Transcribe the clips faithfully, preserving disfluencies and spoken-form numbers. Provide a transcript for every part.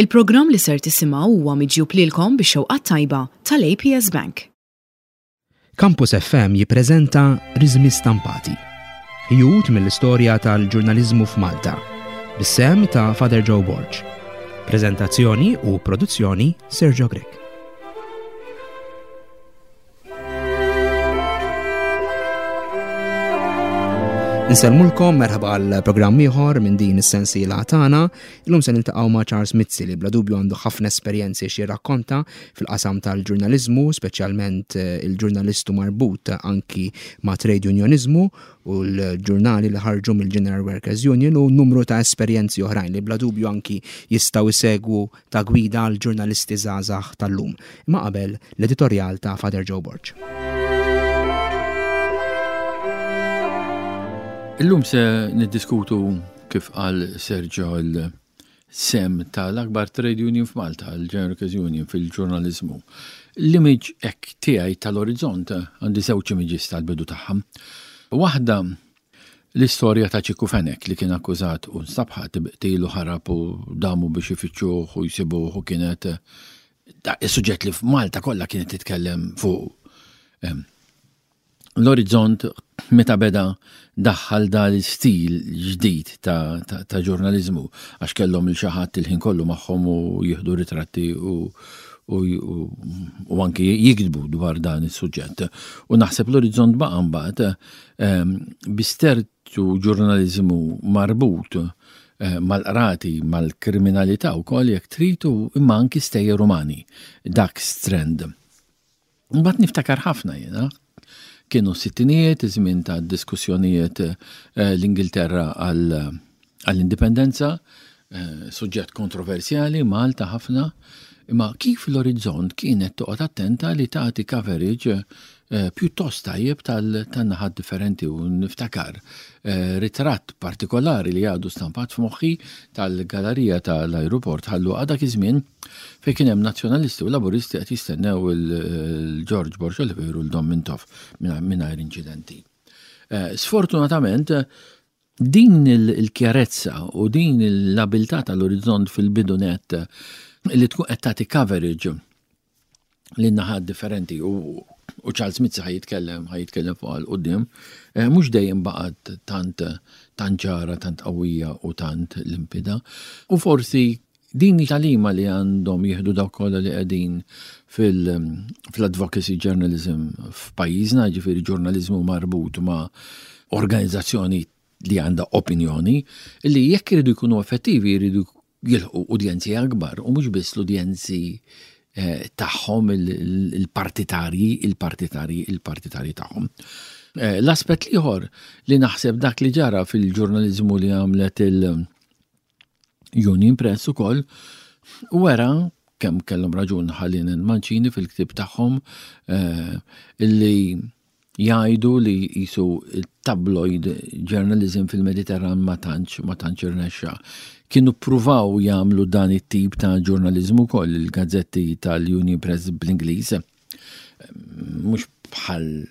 Il-programm li ser tisimgħu huwa miġjub lilkom bix-xewqa tajba tal-A P S Bank. Campus F M jippreżenta Riżmi Stampati. Ħjut mill-istorja tal-ġurnaliżmu f'Malta. Bis-sehem ta' Father Joe Borg. Prezentazzjoni u produzzjoni, Sergio Grech. Insellmulkom, merħba għal programm ieħor minn din is-sensiela tagħna. Illum se niltaqgħu ma' Charles Mizzi, li bla dubju għandu ħafna esperjenzi xi jirrakkonta fil-qasam tal-ġurnaliżmu, speċjalment eh, il-ġurnalistu marbut anki ma' trade unionizmu u l-ġurnali li ħarġu mill-General Workers Union u numru ta' esperjenzi oħrajn li bla dubju anki jistgħu jsegwu ta' gwida għal ġurnalisti żgħażagħ tal-lum. Imma qabel, l-editorjal ta' Father Joe Borg. Illum se niddiskutu, kif qal Sergio, il-sehem tal-akbar trade union f'Malta, il-General Workers Union, fil-ġurnalizmu. L-image ek tiegħi tal-Orizzont, għandi żewġ images tal-bidu tagħha. Waħda l-istorja ta' Ċikku Fenek, li kien akkużat u nstab ħati b'qtil u ħarab u damu biex ifittxuh u jsibuh, u kienet is-suġġett li f'Malta kollha kienet titkellem fuq. L-Orizzont meta beda daħħal da l-istil ġdid ta', ta, ta ġurnalizmu, għax kellhom il xi ħadd il-ħin kollu magħhom u jieħdu ritratti u, u, u, u anki jiktbu dwar dan is-suġġett. U naħseb l-Orizzont baqa' mbagħad ehm, bi ċertu ġurnalizmu marbut eh, mal-qrati, mal-kriminalità u kollox jekk tridu, imma anki stejjer umani, dak strand. Mbagħad niftakar ħafna jiena, kienu sittinijiet, iż-żmien ta' diskussjonijiet eh, l-Ingilterra għall-indipendenza, eh, suġġett kontroversjali, Malta ħafna, imma kif l-Orizzont kienet toqgħod attenta li tagħti coverage eh, pjuttost tajjeb tal-naħat differenti, u niftakar ritratt partikolari li għadu stampat f'moħħi tal-galerija tal-aeroport ħallu għadak iż-żmien, fejn kien hemm nazzjonalisti u laburisti qed jistennew il-George Borg Olivier u l-Dom Mintoff mingħajr inċidenti. Sfortunatament, din il-kjarezza u din l-abilità tal-Orizzont fil-bidu net li tkun qed tagħti coverage lin naħat differenti, u u Charles Mizzi ħa jitkellem ħa jitkellem fuq 'il quddiem, eh, mhux dejjem baqgħet tant tant ċara, tant qawwija u tant limpida. U forsi din tagħlima li għandhom jieħdu dawk kollha li qegħdin fil-advocacy journalism f'pajjiżna, ġifieri ġurnalizmu marbut ma' organizzazzjoni li għandha opinjoni, li jekk iridu jkunu effettivi jridu jilħqu udjenzi akbar u mhux biss l-udjenzi eh, tagħhom, il-partitarji, il-partitarji, il-partitarji tagħhom. Eh, l-aspett l-ieħor li naħseb dak li ġara fil-ġurnalizmu li għamlet il-Union Press ukoll wera kemm kellhom raġun Hallinan, Mancini fil-ktib tagħhom eh, illi jgħidu li jisu tabloid journalism fil-Mediterran ma tantx ma tantx irnexxa. Kienu pruvaw jagħmlu dan it-tip ta' ġurnalizmu koll il-gazzetti tal-Union Press bl-Ingliż. Mhux bħal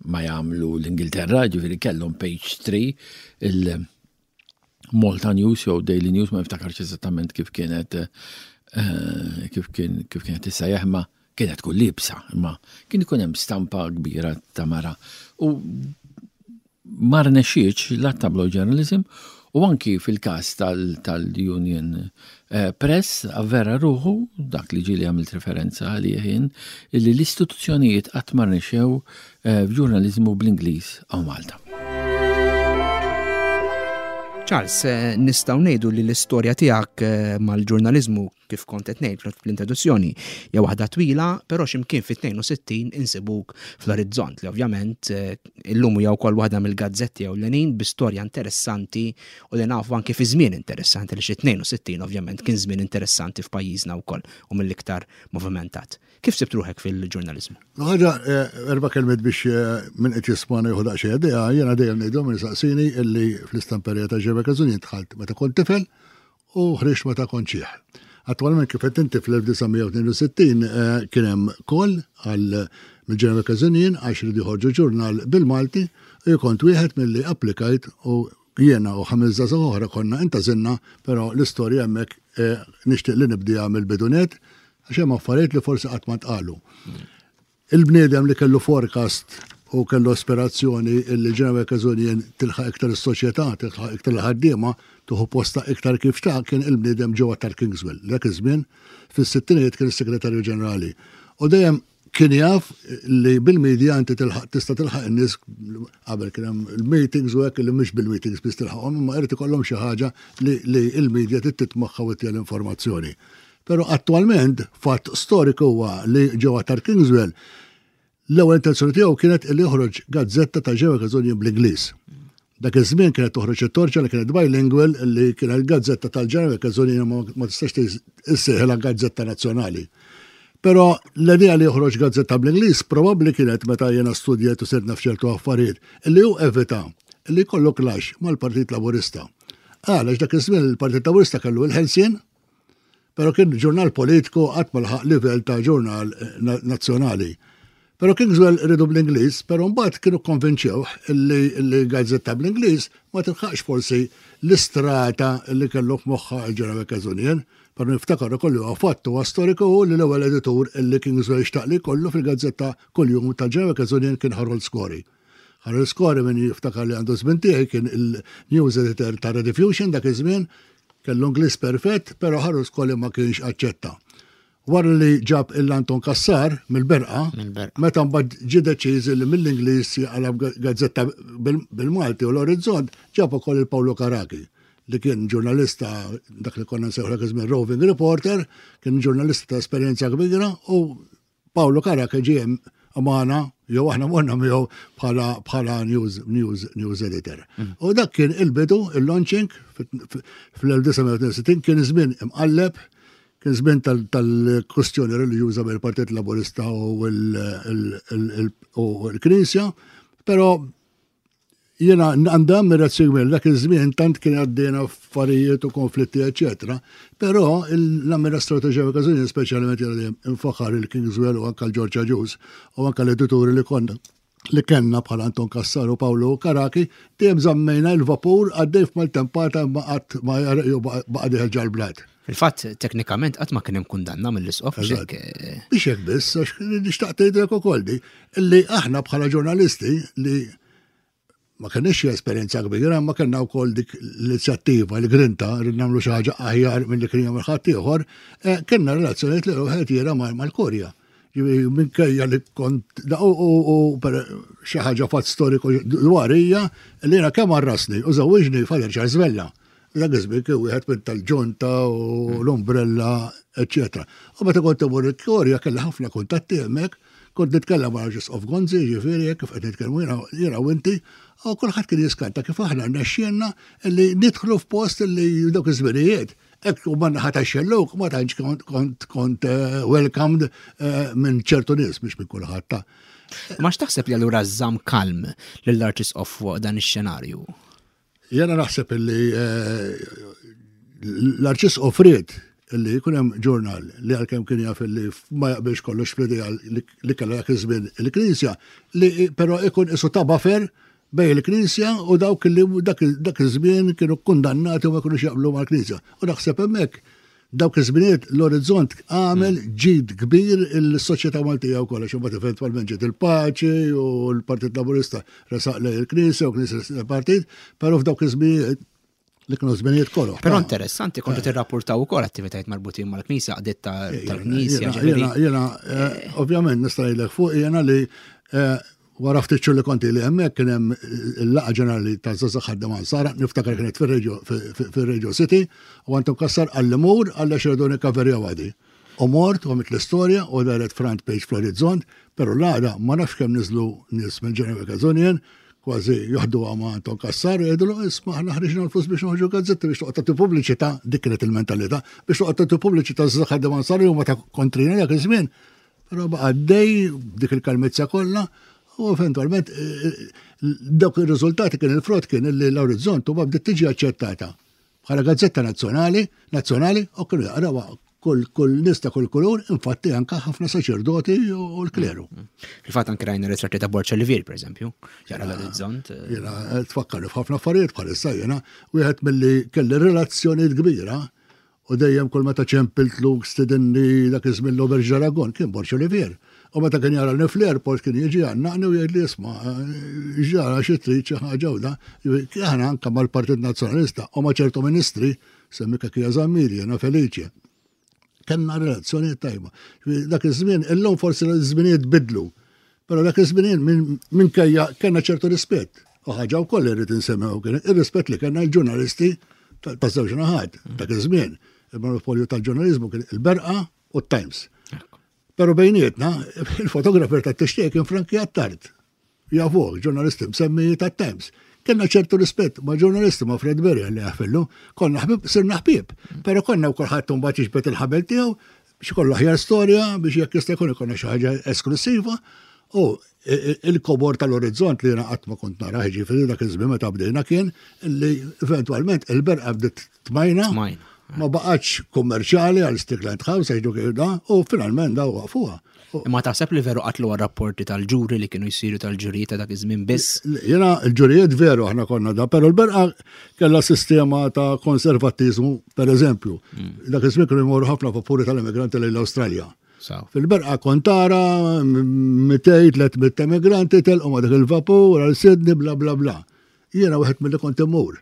ma jagħmlu l-Ingilterra, ġifieri kellhom page three, il-Malta News jew Daily News, ma niftakarx eżattament kif kienet eh, kif kien kif kienet issejjaħ, ma kienet kull libsa, imma kien ikun hemm stampa kbira ta' mara. U ma rnexxietx la tabloid journalism u anki fil-kas tal-Union eh, Press avvera ruħu dak li ġieli għamilt referenza għalih jien, illi l-istituzzjonijiet qatt ma rnexxew eh, f'ġurnalizmu bl-Ingliż hawn Malta. Charles, eh, nistgħu ngħidu li l-istorja tiegħek mal-ġurnalizmu, kif kont qed ngħid fl-introduzzjoni, hija waħda twila, però x'imkien fit-tnejn u sittin insibuk fl-Orizzont, li ovvjament eh, illum hija wkoll waħda mill-gazzetti ewlenin bi storja interessanti u li nafu anke fi żmien interessanti, li xi tnejn u sittin ovvjament kien żmien interessanti f'pajjiżna wkoll u mill-iktar movimentat. Kif sibt ruħek fil-ġurnalizmu? Ħaġa, eh, erba' kelmiet biex eh, min qed jismana jieħu daqsxejn idea. Jiena dejjem ngħidhom min saqsini illi fl-istamperija ta' Ġebek Union dħalt meta kont tifel u ħriġt meta kont xiħ. Attualment, kif qed inti, fl-elf disa' mija u tnejn u sittin eh, kien hemm call għal mill-General Workers Union għax ridu joħorġu ġurnal bil-Malti u kont wieħed milli applikajt u jiena u ħames żgħażagħ oħra konna intgħażilna, però l-istorja hemmhekk eh, nixtieq li nibdiha mill-bidu nett, għax hemm affarijiet li forsi qatt ma tqalu. Il-bniedem li kellu forecast u kellu aspirazzjoni illi General Workers Union tilħaq iktar is-soċjetà, tilħaq iktar il-ħaddiema, tieħu posta iktar kif ta' kien il-bniedem ġewwa tal-Kingswell. Dak iż-żmien fis-sittinijiet kien is-Segretarju Ġenerali. U dejjem kien jaf li bil-media inti tilħaq, tista' tilħaq in-nies. Qabel kien hemm il-meetings u hekk, li mhux bil-meetings biss tilħaqhom, imma irid ikollhom xi ħaġa li, li il-media trid titmaħħa u ttiha l-informazzjoni. Però attualment fatt storiku huwa li ġewwa tal-Kingswell l-ewwel intenzjoni tiegħu kienet li joħroġ gazzetta ta' ġewwa Union bl-Ingliż. Dak iż-żmien kienet toħroġ it-Torċa li kienet bilingual, li kienet gazzetta tal-General Workers Union, ma ma tistax issejħilha gazzetta nazzjonali. Però l-idea li joħroġ gazzetta bl-Ingliż probabbli kienet, meta jiena studjajt u sirna f'ċertu affarijiet, li hu evita li jkollu clash mal-Partit Laburista. Għalax dak iż-żmien il-Partit Laburista kellu il-Ħelsien, però kien ġurnal politiku, qatt ma laħaq livell ta' ġurnal eh, nazzjonali. Però Kingswell riedu bl-Ingliż, però mbagħad kienu konvinċew li li gazzetta bl-Ingliż ma tilħaqx forsi l-istrata li kellu f'moħħa il-General Workers Union. Però niftakar ukoll huwa fatt huwa storiku li l-ewwel editur li Kingswell xtaq li kollu fil-gazzetta kuljum tal-General Workers Union kien Harold Scory. Harold Scory, min jiftakar li għandu żmien tiegħi, kien il-news editor ta' Rediffusion dak iż-żmien, kellu Ingliż perfett, però Harold Scory ma kienx aċċetta. Wara li ġab il-Anton Kassar mill-Berqa, meta mbagħad ġie deċiż li mill-Ingliż jaqlab gazzetta bil-Malti u l-Orizzont, ġab ukoll il-Paolo Karaki, li kien ġurnalista, dak li konna nsejħu dak iż-żmien roving reporter, kien ġurnalista ta' esperjenza kbira, u Paolo Karaki ġie magħna jew aħna morna miegħu bħala bħala news, news, news editor. Mm. U dak kien il-bidu, il-launching fl-elf disa' mija u tnejn u sittin. Kien żmien imqalleb, kien żmien tal-kwestjoni reliġjuża bejn il-Partit Laburista u l-Knisja, però jiena għandam ammirazzjoni dak iż-żmien, tant kien għaddejna affarijiet u konflitti, eċetera. Però l-amministratur ġewwa, speċjalment jiena infaħar il-Kingswell u anka l-George Agius u anka l-edituri li konna li kellna bħal Anton Kassar u Paolo Karaki, dejjem żammejna il-vapur għaddej f'maltempata, ma qatt ma baqa' dieħel ġal-blat. Fil-fatt, teknikament qatt ma kien hemm kundanna mill-isqof. Eh, Biex hekk biss, għax nixtaq tgħidlek ukoll di, illi aħna bħala ġurnalisti li ma kenniex esperjenza kbira, ma kellna wkoll dik l-inizjattiva, l-grinta, rrid nagħmlu xi ħaġa aħjar milli kien jagħmel ħadd ieħor, eh, kellna relazzjonijiet li wieħed jiera mal-Kurja. Minkejja li kont u xi ħaġa fatt storiku dwar hija li jiena kemm għarrasni u żewwiġni Father Charles Vella. Dak iż-żmien kien wieħed minn tal-ġunta u l-umbrella, eċetera. U meta kont imur il-Kurja kelli ħafna kuntatti hemmhekk, kont nitkellem ma' Arċisqof Gonzi, ġifieri kif qed nitkellmu jiena u inti, u kulħadd kien jiskanta kif aħna rnexxielna li nidħlu f'post li dawk iż-żminijiet hekk u manna ħata xelluk, ma tantx kont kont eh, welcomed eh, minn ċertu nies, biex minn kulħadd ta'. Ma x'taħseb li allura żamm kalm lill-Arċisqof fuq dan ix-xenarju? Jena naħseb illi eh, l-Arċisqof ried illi jkun hemm ġurnal li, għalkemm kien jaf illi ma jaqbilx kollox fl-idea li kellha dak iż-żmien il-Knisja, li però ikun isu ta' buffer bejn il-Knisja u dawk li dak iż-żmien kienu kundannati u ma kinux jaqblu mal-Knisja. U naħseb hemmhekk dawk iż-żminijiet l-Orizzont għamel ġid kbir il-soċjetà Maltija wkoll, għax imbagħad eventwalment ġiet il-paċi u l-Partit Laburista resaq lejn il-Knisja u Knisja il-Partit, però f'dawk iż-żminijiet li kienu żminijiet kollu. Però interessanti, kontu tirrapportaw ukoll attivitajiet marbutin mal-Knisja, għaqdiet tal-Knisja. Jiena, jiena, eh, ovvjament nista' ngħidlek fuq jiena li eh, wara ftit xhur li konti li hemmhekk kien hemm il-laqgħa ġenerali ta' Żgħażagħ Ħaddiema Nsara, niftakar kienet fir-Radio City, u Anton Kassar qalli mur għalla xeredu nikkaverja għadi. U mort u għamilt l-istorja u daret front page fl-Orizzont, pero l-għada ma nafx kemm niżlu nies minn General Workers Union, kważi joħdu ma' Anton Kassar, jgħidulu, "Isma', aħna ħriġna l-flus biex noħorġu gazzetti biex toqgħod tagħti pubbliċità," dik kienet il-mentalità, "biex toqgħod tagħti pubbliċità żgħażagħ ħaddiema Nsara huma ta' kontrina dak iż-żmien." Però baqa' għaddej dik il-kalmizza kollha u eventualment eh, eh, dawk ir-riżultati kien il-frott kien li l-Orizzont u bdiet tiġi aċċettata bħala gazzetta nazzjonali, nazzjonali u kienu jaqrawha kull kull nies ta' kull kulur, infatti anka ħafna saċerdoti u l-kleru. Fil-fatt anke rajna ritratti ta' Borg Olivier, per eżempju, jara l-Orizzont. Eh. Jiena tfakkar f'ħafna affarijiet bħalissa. Jiena wieħed milli kelli relazzjonijiet kbira U dejjem kull meta ċempiltlu stidinni dak iż-żmien l-Auberge d'Aragon kien Borg Olivier. U meta kien jara fl-airport kien jiġi għannaqni u jgħid li isma' ġara xi trid xi ħaġa u da. Aħna anke mal-Partit Nazzjonalista u ma' ċertu ministri, semmi Cachia Zammit, jiena Felice. Kellna relazzjoni tajba. Dak iż-żmien, illum forsi l-żminijiet bidlu, però dak iż-żmien minkejja kellna ċertu rispett. U ħaġa wkoll irrid insemmew kien ir-rispett li kellna l-ġurnalisti ta' żewġ naħat dak iż-żmien. Il-monopolju tal-ġurnalizmu kien il-Berqa u t-Times. Pero bejnietna, il-fotografer ta' Tixtieq kien Frankie Attard. Jafuh, ġurnalisti msemmi ta' Times. Kellna ċertu rispett ma' ġurnalisti ma' Fred Berry li jaffillu, konna ħbib, sirna ħbib. Pero konna u kulħadd mbagħad jiġbed il-ħabel tiegħu biex ikollu aħjar storja biex jekk jista' jkun ikollna xi ħaġa esklusiva. U il-kobor tal-Orizzont li jiena qatt ma kont nara, ġifieri dak iż-żmien meta bdejna kien li eventwalment il-Berqa bdiet tmajna. Ma baqgħetx kummerċjali għal Strickland House għax kif da, u finalment daw waqfuha. Imma taħseb li veru qatlu rapporti tal-ġuri li kienu jsiru tal-ġurijiet ta' dak iż-żmien biss? Jiena l-ġurijiet veru aħna konna da, però l-Berqa kellha sistema ta' konservattiżmu, per eżempju. Dak iż-żmien kienu jmorru ħafna vapuri tal-immigranti lejn l-Awstralja. Fil-Berqa kont tara mitejn, tliet mitt immigranti telqu ma' dak il-vapur għal Sydney, bla bla bla. Jiena wieħed mill-li kont immur.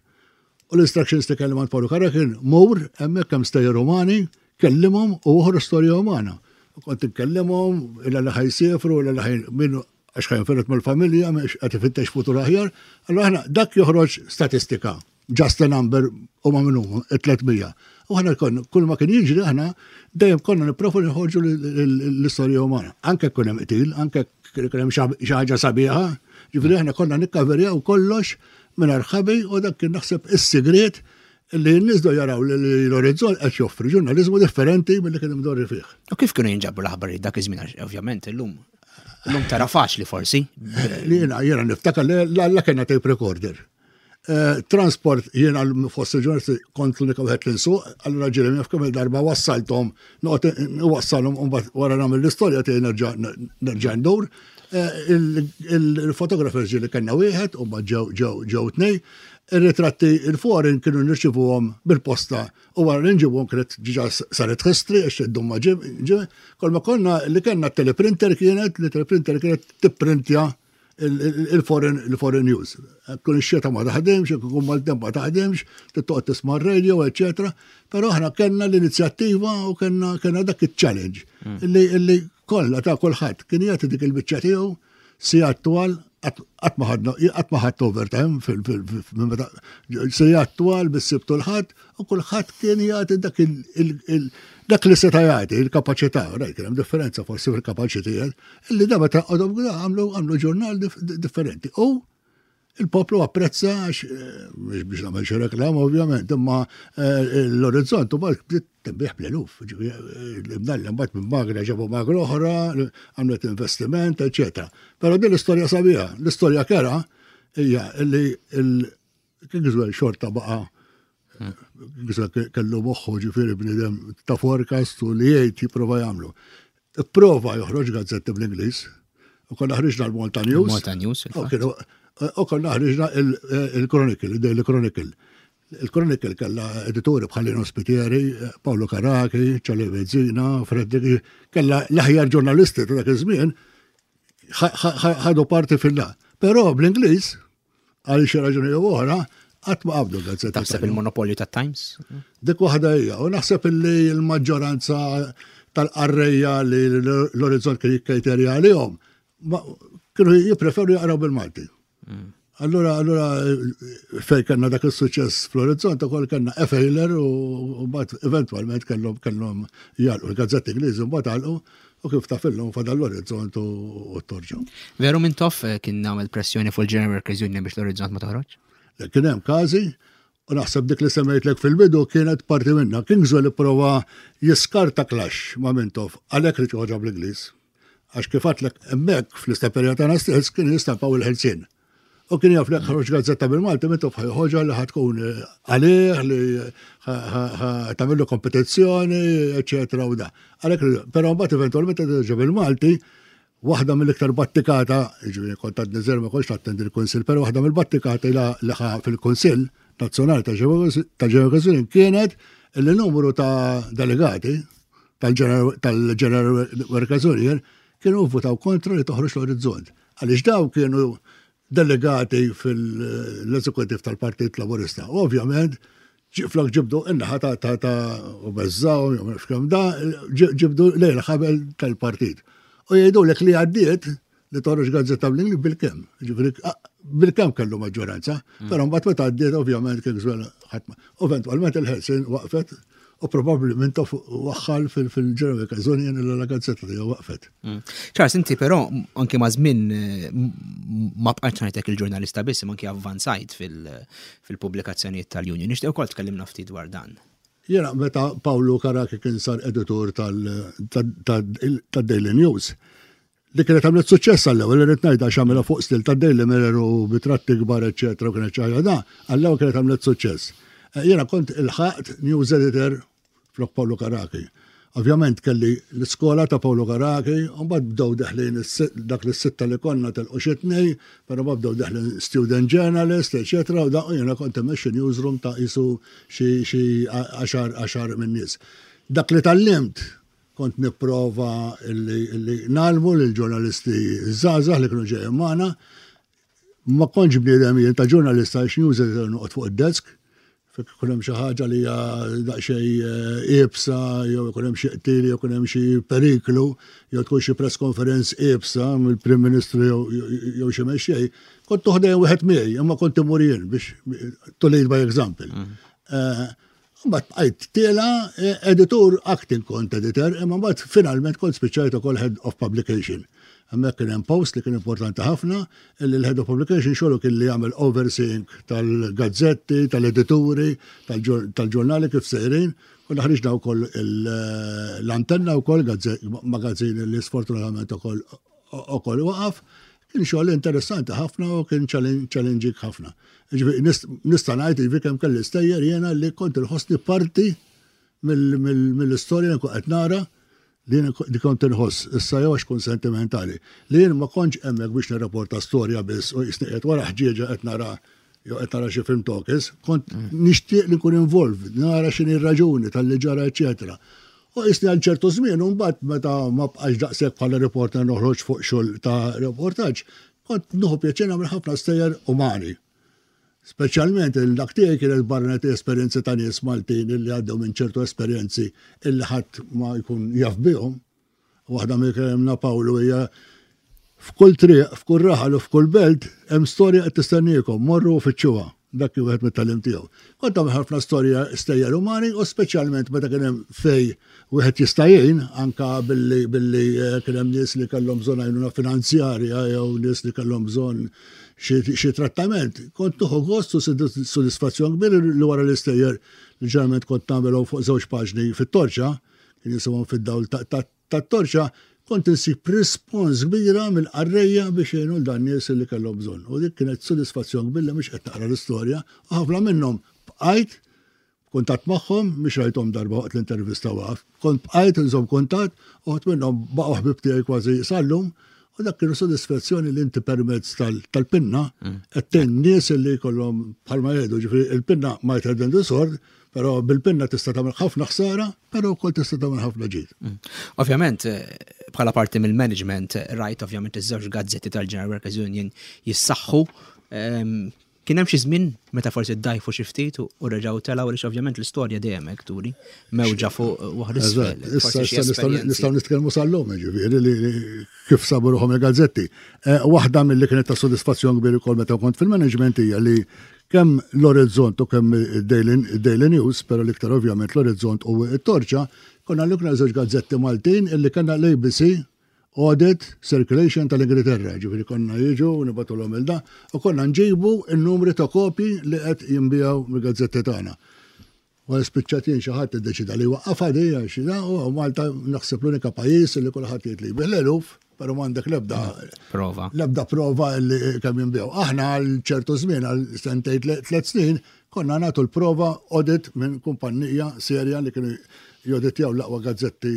U l-instructions li kelli ma' Paolo Carra kien mur, hemmhekk hemm stejjer umani, kellimhom u oħra storja umana. U kont inkellimhom illa li ħa jsifru, illa li ħaj min għax ħa jinfired mill-familja, mhux qed ifittex futur aħjar. Allura aħna dak joħroġ statistika, just a number u ma minn huma, tliet mija. U aħna konna, kull ma kien jiġri aħna dejjem konna nipprovu nħorġu l-istorja umana. Anke kien hemm qtil, anke kien hemm xi ħaġa sabiħa, ġifieri aħna konna nikkaverjaw kollox minn ħabi u dak kien naħseb is-sigriet li n-nies do jaraw li l-Orizzont qed joffri ġurnaliżmu differenti milli kien imdorri fih. U kif kienu jinġabru l-aħbarijiet dak iż-żmien? Għax ovvjament illum illum tara faċli forsi. Li jiena, jiena niftakar li la kellna tape recorder. Eh, transport jiena fost il-ġurnalisti kont l-unika wieħed li nsuq, allura ġieli naf kemm il-darba wassalthom, noqgħod nwassalhom u mbagħad wara nagħmel l-istorja tiegħi nerġa' nerġa' ndur. Eh, il-fotografer ġieli kellna wieħed u mbagħad ġew ġew ġew tnej. Ir-ritratti il-foreign kienu nirċivuhom bil-posta u wara li nġibuhom kienet ġiġa saret history għax iddum ma ġib, ġib. Kol ma konna li kellna teleprinter kienet, li teleprinter kienet tipprintja il-foreign, il-foreign news. Kun ix-xeta ma taħdimx, kun maltemp ma taħdimx, tittoqgħod tisma' r-radio, eċetera. Però aħna kellna l-inizjattiva u kellna kellna dak iċ-challenge illi illi kollha ta' kulħadd kien jagħti dik il-biċċa tiegħu sigħat twal qatt ma ħadna qatt ma ħadd overtime fil minn meta sigħat twal bis-Sibt u l-Ħadd u kulħadd kien jagħti dak il dak li seta' jagħti il-kapaċità, rajt kien hemm differenza forsi fil-kapaċitajiet, illi da meta qogħdhom għamlu għamlu ġurnal differenti. U il-poplu apprezza għax mhux biex nagħmel xi reklam ovvjament, imma l-Orizzont ukoll bdiet tinbiegħ bl-eluf. Ġifieri mbagħad minn magra ġabu magra oħra, għamlet investiment, eċetera. Però din l-istorja sabiħa, l-istorja kera hija illi il-Kingswell xorta baqa' Kingswell kellu moħħu ġifieri bniedem ta' forecast u li jgħid jipprova jagħmlu. Ipprova joħroġ gazzetti bl-Ingliż, u konna ħriġna l-Malta News. Malta News, U konna ħriġna il-Chronicle, il-Daily Chronicle. Il-Chronicle kella editori bħal Lino Spitieri, Paolo Carachi, Charlie Bezzina, Frederick, kella l-aħjar ġurnalisti ta' dak iż-żmien ħadu parti fil-la. Però bl-Ingliż, għal xi raġuni jew oħra, qatt ma qabdu gazzetti. Taħseb il-monopolju ta' Times? Dik waħda hija, u naħseb illi l-maġġoranza tal-qarrejja li l-Orizzont kien jikkejterja għalihom, kienu jippreferu jaqraw bil-Malti. Allura, allura fej kellna dak il-suċċess fl-Orizzont ukoll kellna e-failer u mbagħad eventwalment kellhom kellhom jagħlqu l-gazzetti Ingliżi mbagħad għalqu u kif taf illum fadal l-Orizzont u t-Torġa. Veru Mintoff kien nagħmel pressjoni fuq il-General Workers Union biex l-Orizzont ma toħroġ? Kien hemm każi u naħseb dik li semmejtlek fil-bidu kienet parti minna. Kingswell ipprova jiskarta clash ma' Mintoff għalhekk li ħoġa bl-Ingliż. Għax kif għedtlek hemmhekk fl-istamperija tagħna stess kien jistampaw il-Ħelsien. U kien jaf li ħroġ gazzetta bil-Malti, Mintoff ħoġa li ħatkun għalih, li tagħmillu kompetizzjoni, eċetera u da. Għalhekk, però mbagħad eventwalment terġa' bil-Malti, waħda mill-iktar battikata, jiġifieri kont għadni żgħir ma kontx nattendi l-Kunsill, però waħda mill-battikata li ħa fil-Kunsill Nazzjonali ta' Ġew kienet Illi numru ta' delegati tal-General Workers Union kienu votaw kontra li toħroġ l-Orizzont. Għaliex daw kienu delegati fil-eżekutiv tal-Partit Laburista. U ovvjament, flok ġibdu in-naħa ta' ta' ta' u beżżaw, jew kemm da, ġibdu lejn ħabel tal-partit. U jgħidu lek li għaddiet li toħroġ gazzetta bl-Ingliż bil-kemm. Ġifieri bil-kemm kellu maġġoranza, mm. però mbagħad meta għaddiet ovvjament kien żwel ħadd. Eventwalment il-Ħelsien waqfet u probabbli Mintoff waħħal fil-General Workers Union la gazzetta tiegħu waqfet. Mm. Charles, inti però anke ma' żmien eh, ma bqajtx ngħidlek il-ġurnalista biss, imma anke avvanzajt fil-pubblikazzjonijiet tal-Union. Nixtieq ukoll tkellimna ftit dwar dan. Jiena meta Pawlu Carachi kien sar editur tal-Daily News, li kienet għamlet suċċess għall-ewwel, irrid ngħid, għax għamilha fuq stil ta' Daily Mirror u bitratti kbar, eċetera, u kienet xi ħaġa da, għall-ewwel kienet għamlet suċċess. Eh, jiena kont ilħaqt news editor flok Pawlu Carachi. Ovvjament kelli l-iskola ta' Pawlu Carachi, u mbagħad bdew deħlin dak l-sitta li konna telqu xi tnej, però mbagħad bdew deħlin student journalist, eċetera, u da jiena kont immexxi newsroom ta' isu xi għaxar għaxar minn nies. Dak li tgħallimt kont nipprova illi ngħallmu lill-ġurnalisti żgħażagħ li kienu ġejjin magħna. Ma kontx bniedem jien ta' ġurnalista għax news editor noqgħod fuq id-desk, fek ikun hemm xi ħaġa li hija daqsxejn eh, iebsa, jew ikun hemm xi qtil, jew ikun hemm xi periklu, jew tkun xi press conference iebsa mill-Prim Ministru jew xi mexxej, kont toħdej wieħed miegħi, imma kont imur jien biex to lead by example. Mm. Eh, mbagħad bqajt tiela eh, editur, acting kont editor, imma mbagħad finalment kont spiċċajt ukoll head of publication. Hemmhekk kien hemm post li kien importanti ħafna, illi l-head of publication xogħlu kien li jagħmel overseeing tal-gazzetti, tal-edituri, tal-ġurnali kif sejrin. Konna ħriġna wkoll l-Antenna wkoll, magazin li sfortunatament ukoll ukoll waqaf. Kien xogħol interessanti ħafna u kien challenging ħafna. Nista' ngħid ġifieri kemm kelli stejjer jiena li kont inħossni parti mill-istorja li qed nara li li kont inħoss, issa jew għax kun sentimentali, li jien ma kontx hemmhekk biex nirrapporta storja biss u jisni qed wara ħġieġa qed nara jew qed nara xi film talkies, kont nixtieq li nkun involved, nara x'inhi r-raġuni tal-li ġara, eċetera. U jisni għal ċertu żmien, u mbagħad meta ma bqax daqshekk bħala reporter noħroġ fuq xogħol ta' reportaġġ, kont nieħu pjaċir nagħmel ħafna stejjer umani. Speċjalment il-dak tiegħi kienet barranet esperjenzi ta' nies Maltin illi għaddew minn ċertu esperjenzi illi ħadd ma jkun jaf bihom. Waħda mill kellimna Pawlu hija f'kull triq, f'kull raħal u f'kull belt hemm storja qed tistenniekom, morru u fittxuha. Dak kien wieħed mit-tagħlim tiegħu. Kont tagħmel ħafna storja stejjer umani u speċjalment meta kien hemm fej wieħed jista' jgħin anka billi billi eh, kien hemm nies li kellhom bżonn għajnuna finanzjarja jew nies li kellhom bżonn xi trattament. Kont nieħu gost u sodisfazzjon kbir li wara l-istejjer li ġeneralment kont nagħmelhom fuq żewġ paġni fit-Torċa, kien jisimhom Fid-Dawl tat-Torċa, kont insib rispons kbira mill-qarrejja biex jgħinu dan nies li kellhom bżonn. U dik kienet sodisfazzjon kbir li mhux qed naqra l-istorja u ħafna minnhom bqajt kuntatt magħhom, mhux rajthom darba waqt l-intervista waqaf. Kont bqajt nżomm kuntatt u ħadd minnhom baqgħu ħbib tiegħi kważi sallum. U dak kienu sodisfazzjoni li inti permezz tal-pinna qed tgħin nies li jkollhom, bħalma jgħidu, ġifieri il-pinna might have the sword, però bil-pinna tista' tagħmel ħafna ħsara, però wkoll tista' tagħmel ħafna ġid. Mm. Ovvjament, eh, bħala parti mill-management, rajt ovvjament iż-żewġ gazzetti tal-General Workers Union jissaħħu. Ehm, kien hemm xi żmien meta forsi ddajfu xi ftit u reġgħu telgħu, għaliex ovvjament l-istorja dejjem hekk turi mewġa fuq waħda isfel. Issa nistgħu nitkellmu sal-lum, ġifieri li kif sabu ruħhom il-gazzetti. Eh, waħda mill-li kienet ta' sodisfazzjon kbir ukoll meta kont fil-management hija li kemm l-Orizzont u kemm il-Daily News, però l-iktar ovvjament l-Orizzont u t-Torċa, konna l-ikna żewġ gazzetti Maltin illi kellna l-A B C audit circulation tal-Ingilterra, ġifieri konna jiġu nibagħtulhom il-da, u konna nġibu il-numri ta' kopji li qed jinbiegħu mill-gazzetti tagħna. U spiċċatin xi ħadd iddeċida li waqqafha di għax da, u Malta naħseb l-unika pajjiż li kulħadd jgħid li bil-eluf, però m'għandek l-ebda prova. L-ebda prova li kemm jinbiegħu. Aħna għal ċertu żmien, għal sentejn, tliet snin, konna nagħtu l-prova audit minn kumpanija serja li kienu joditjaw l-aqwa gazzetti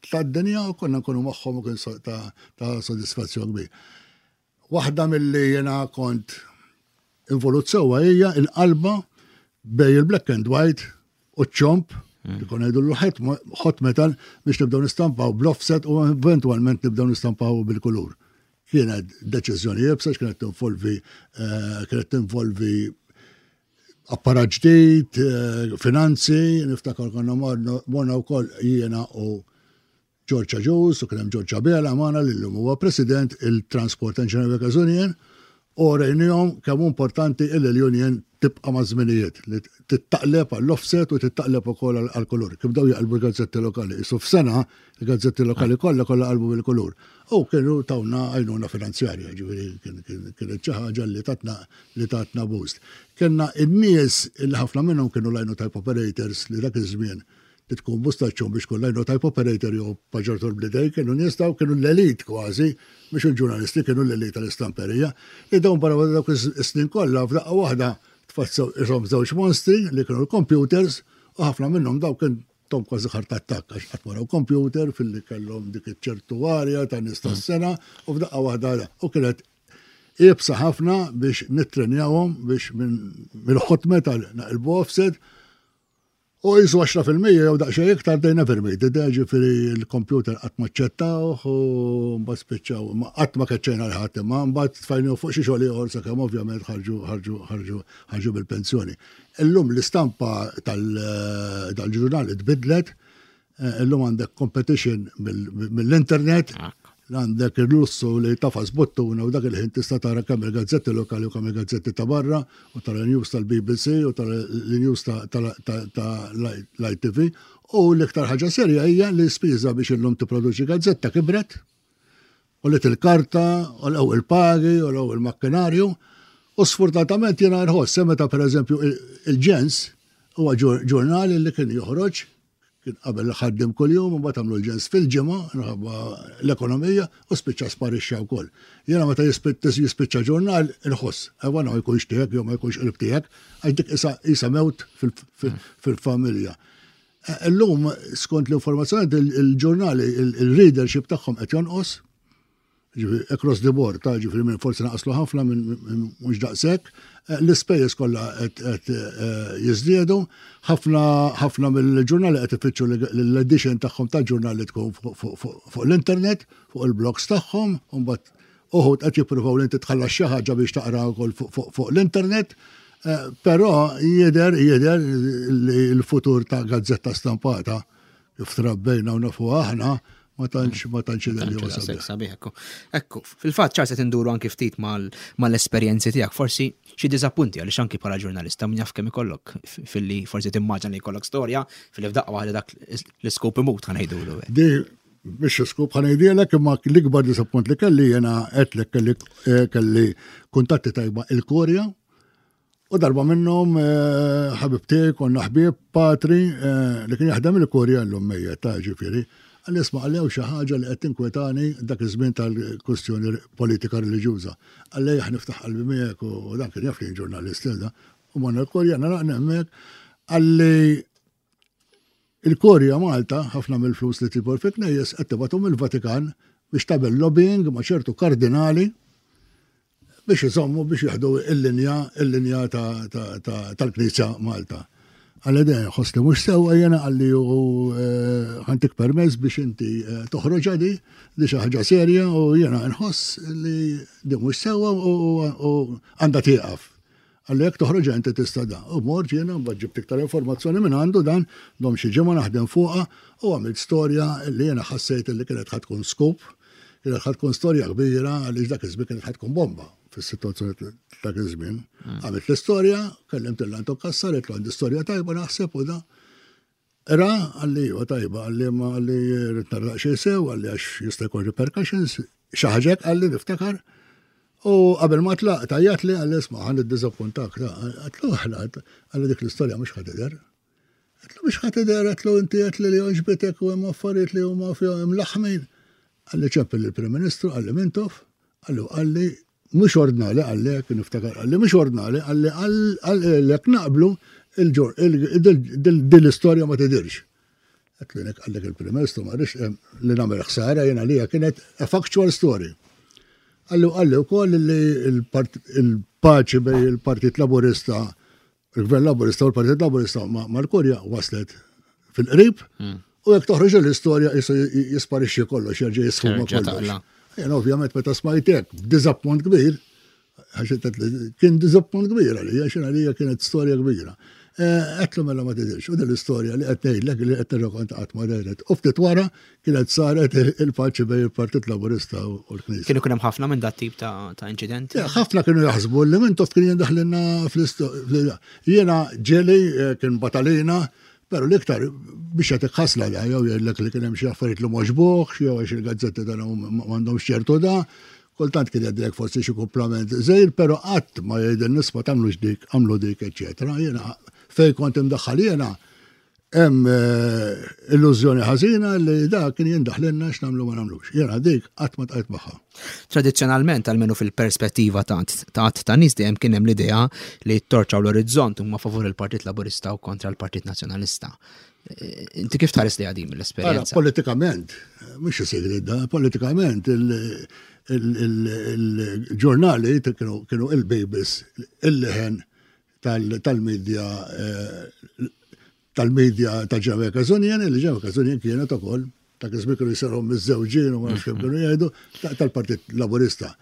tad-dinja u konna nkunu magħhom u kien ta', ta sodisfazzjon kbir. Waħda mill-li jena kont involut sewwa hija il-qalba bejn il-black and white u ċomp. Li konna ngħidu hot metal biex nibdew nistampaw bl-offset u eventwalment nibdew nistampaw bil-kulur. Kienet deċiżjoni iebsa, kienet tinvolvi eh, kienet tinvolvi apparat ġdid, eh, finanzi, niftakar konna morna wkoll jiena u George Agius u kien hemm George Abela magħna li llum huwa president il-Transport Engineering Workers Union u rejnihom kemm importanti illi l-union tibqa' ma' żminijiet li tittaqleb għall-offset u tittaqleb ukoll għall-kulur. Kif bdew jaqlbu l-gazzetti lokali. Isu f'sena il-gazzetti lokali kollha kollha qalbu bil-kulur. U kienu tawna għajnuna finanzjarja, ġifieri kienet xi ħaġa li tatna li tatna boost. Kellna in-nies illi ħafna minnhom kienu lino type operators li dak iż-żmien li tkun mustaċċun biex tkun lino type operator jew paġġatur bl-idejn, kienu nies daw kienu l-elit kważi, mhux il-ġurnalisti kienu l-elit tal-istamperija. Li dawn barra dawk is-snin kollha f'daqqa waħda tfassew ishom żewġ monstri li kienu l-computers u ħafna minnhom daw kien tom kważi heart attack għax qatt waraw computer filli kellhom dik iċ-ċertu arja ta' nies tas-sena u f'daqqa waħda u kienet iebsa ħafna biex nittrenjawhom biex mill-hot metal naqilbu offset u jisu għaxra fil-mija jew daqsxejn iktar they never made it. Ġifieri l-computer qatt ma ċċettawh u mbagħad spiċċaw, qatt ma keċċejna 'l ħadd imma mbagħad tfajniew fuq xi xogħol ieħor sakemm ovvjament ħarġu ħarġu ħarġu ħarġu bil-pensjoni. Illum l-istampa tal-ġurnali tbidlet, illum għandek competition mill-internet, għandek il-lussu li tagħfas buttuna u dak il-ħin tista' tara kemm il-gazzetti lokali u kemm il-gazzetti ta' barra u tara news tal-B B C u tara l-news tal-I T V u l-iktar ħaġa serja hija li spiża biex illum tipproduċi gazzetta kibret u li til-karta u l il-pagi u l il-makkinarju u sfortunatament jiena nħoss meta, pereżempju, il-Ġens huwa ġurnali li kien joħroġ, kien qabel ħaddim kuljum u mbagħad għamlu l-Ġens fil-ġimgħa minħabba l-ekonomija u spiċċa sparixxa wkoll. Jiena meta jispiċċa ġurnal inħoss, ewa ma jkunx tiegħek jew ma jkunx qrib tiegħek, għax dik isa mewt fil-familja. Illum, skont l-informazzjoni, il-ġurnali il-readership tagħhom qed jonqos, ġifieri across the board, ta' ġifieri minn forsi naqaslu ħafna minn mhux daqshekk, l-ispejjeż kollha qed jiżdiedu, ħafna ħafna mill-ġurnali qed ifittxu l-edition tagħhom ta' ġurnali tkun fuq l-internet, fuq il-blogs tagħhom, u mbagħad uħud qed jippruvaw li inti tħallas xi ħaġa biex taqra wkoll fuq l-internet, però jidher jidher li l-futur ta' gazzetta stampata kif trabbejna u nafu aħna ma tantx ma tantx jidher li huwa sabiħ. Sabiħ, ekku. Ekku, fil-fatt ċar se tinduru anki ftit mal-esperjenzi tiegħek, forsi xi diżappunti, għaliex anki bħala ġurnalista min jaf kemm ikollok filli forsi timmaġina li jkollok storja filli f'daqqa waħda dak l-iskop imut, ħa ngħidulu. Di biex scoop ħa ngħidilek, imma l-ikbar disappunt li kelli jiena għedtlek kelli kelli kuntatti tajba il-Kurja u darba minnhom ħabib tiegħi, konna ħbieb, patri li kien jaħdem il-Kurja, llum mejjet ta' ġifieri, qalli, "Isma'," qalli, "xi ħaġa li qed tinkwetani dak iż-żmien tal-kwestjoni politika reliġjuża." Qalli, "Ħa niftaħ qalbi miegħek," u dan kien jaf li ġurnalist da. U morna l-Kurja naraqna hemmhekk, qalli, "Il-Kurja Malta ħafna mill-flus li tibor fi knejjes qed tibgħathom il-Vatikan biex tagħmel lobbying ma' ċertu kardinali biex iżommu biex jieħdu il-linja il-linja tal-Knisja Malta." Qalli, "Den ħoss li mhux sewwa jiena," qalli, "u ħa ntik permess biex inti toħroġ di di xi ħaġa serja u jiena nħoss li di mhux sewwa u għandha tieqaf." Qalli, "Jekk toħroġ inti tista' da." U mort jiena mbagħad ġibt iktar informazzjoni minn għandu dan, domt xi ġimgħa naħdem fuqha u għamilt storja li jiena ħassejt li kienet ħa tkun scoop, kienet ħa tkun storja kbira għaliex dak iż-żmien kienet ħa tkun bomba fis-sitwazzjoni dak iż-żmien. Għamilt l-istorja, kellimt lil Anton Cassar, għedtlu għandi storja tajba naħseb u da. Ra, qalli, "Huwa tajba," qalli, "ma," qalli, "rrid nara xejn sew," qalli, "għax jista' jkun repercussions," xi ħaġa qalli niftakar. U qabel ma tlaq tajjat li qalli, "Isma', ħa niddiżappuntak." Għedtlu, "Ħla," qalli, "dik l-istorja mhux ħa tidher." Għedtlu, "Mhux ħa tidher?" Għedtlu, "Inti għedt li li għoġbitek u hemm affarijiet li huma fihom imlaħmin." Qalli, "Ċempel il-Prim Ministru," qalli, "Mintoff," qalli, qalli "mhux ordnali," qalli, niftakar, qalli, "mhux ordnali," qalli, "għal naqblu din l-istorja ma tidirx." Għedtlu, "Nek għallek il-Prim Ministru ma rridx li nagħmel ħsara jiena li kienet a factual story." Qalli qalli wkoll li il-paċi bejn il-Partit Laburista, il-Gvern Laburista u l-Partit Laburista mal-Kurja waslet. fil-qrib, u jekk toħroġ l-istorja jisu jisparixxi kollox, jerġa' jisfuma Terġa' kollox. taqla'. Jien ovvjament meta smajtek, b'diżappunt kbir, għax qed li kien diżappunt kbir għalija, għax għalija kienet storja kbira. Għedtlu mela ma tidirx, u din l-istorja li qed ngħidlek li qed nirrakkonta qatt ma dehret. U ftit wara kienet saret il-paċi bejn il-Partit Laburista u l-Knisja. Kienu kien hemm ħafna minn dat tip ta' ta' inċidenti? Ja, ħafna kienu jaħsbu li Mintoff kien jindaħlilna fl-istorja. Jiena ġeli eh, kien batalina, pero l-iktar biex jagħtik ħasla da, jew jgħidlek li kien hemm xi affarijiet li m'għoġbuhx, jew għax il-gazzetti tagħna m'għandhomx ċertu da. Kultant kien jgħidlek forsi xi kumplament żgħir, però qatt ma jgħidil nisma' tagħmlux dik, għamlu dik, eċċetera. Jiena fej kont imdaħħal jiena hemm eh, illużjoni ħażina li da kien jindaħlilna x'nagħmlu ma nagħmlux. Jiena dik qatt ma tqajt magħha. Tradizzjonalment, almenu fil-perspettiva ta' ta' ta' nies dejjem kien hemm l-idea li t-Torċa u l-Orizzont huma favur il-Partit Laburista u kontra l-Partit Nazzjonalista. Eh, Inti kif tħares li għadim Ara, l-esperjenza? politikament, mhux sigrid da, politikament il- il- il- il-ġurnali kienu kienu il-babies, il-leħen tal- tal-medja eh, tal-medja ta' Jamaica Union, li Jamaica Union kienet ukoll ta' kismi kienu jisarhom miż-żewġin u ma nafx kemm kienu jgħidu ta- tal-Partit Laburista.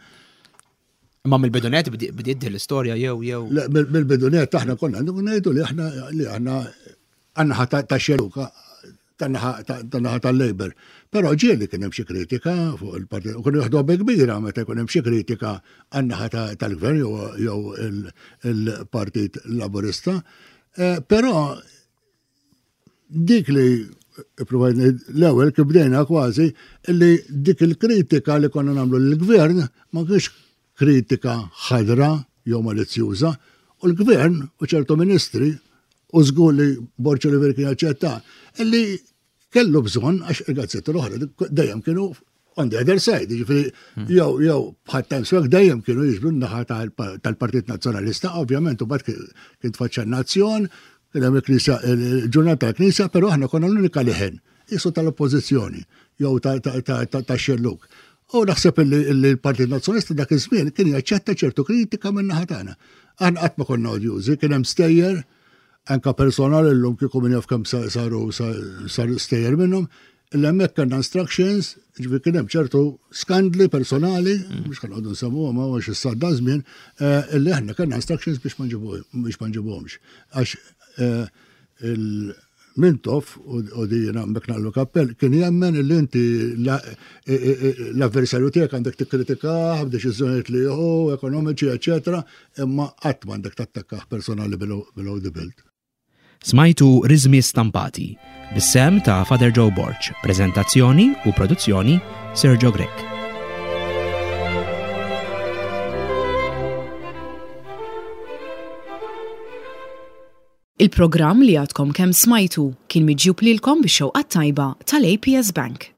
Imma mill-bidunet bdi- bdiet din l-istorja jew jew Le, mill- Mill-bidunet aħna konna ngħidu li aħna li aħna għan-naħa ta' ta' xellug, tan-naħa tan-naħa tal-Labor. Però ġieli kien hemm xi kritika fuq il-partit, u kienu jaħdu bi kbira meta jkun hemm xi kritika għan-naħa ta- tal-gvern jew jew il- il-Partit Laburista. Eh, Però dik li provajt ngħid l-ewwel kif bdejna kważi li dik il-kritika li konna nagħmlu lill-gvern ma kienx kritika ħadra jew malizzjuża u l-gvern u ċertu ministri u żgur li Borg Olivier kien jaċċetta illi kellu bżonn għax il-gazzetti l-oħra dejjem kienu on the other side, jiġifieri jew jew bħal Times Work dejjem kienu jiġbdu n-naħa tal- tal-Partit Nazzjonalista, ovvjament u mbagħad kien tfaċċa n-nazzjon, kien hemm il-Knisja il-ġurnata tal-Knisja, però aħna konna l-unika leħen, jisu tal-oppożizzjoni jew ta' ta' ta' ta' ta' xellug. U naħseb illi illi l-Partit Nazzjonalista dak iż-żmien kien jaċċetta ċertu kritika minn naħa tagħna. Aħna qatt ma konna odjużi, kien hemm stejjer anka personal illum kieku min jaf kemm sa- saru sa- saru stejjer minnhom, illa hemmhekk kellna instructions, ġifieri kien hemm ċertu skandli personali, mhux kan qogħdu nsemmuhom ma għax issa da żmien, eh, illi aħna kellna instructions biex ma nġibu- biex ma nġibuhomx. Għax eh, il-Mintoff u u di jiena hemmhekk naqlu kappell kien jemmen illi inti la- e- e- e- l-avversarju tiegħek għandek tikkritikah b'deċiżjonijiet li jieħu, ekonomiċi, eċetera, imma qatt m'għandek tattakkah personali below below the belt. Smajtu Rizmi Stampati, bis-sehem ta' Father Joe Borg, prezentazzjoni u produzzjoni Sergio Grech. Il-programm li għadkom kemm smajtu kien miġjub lilkom bix-xewqa tajba tal-A P S Bank.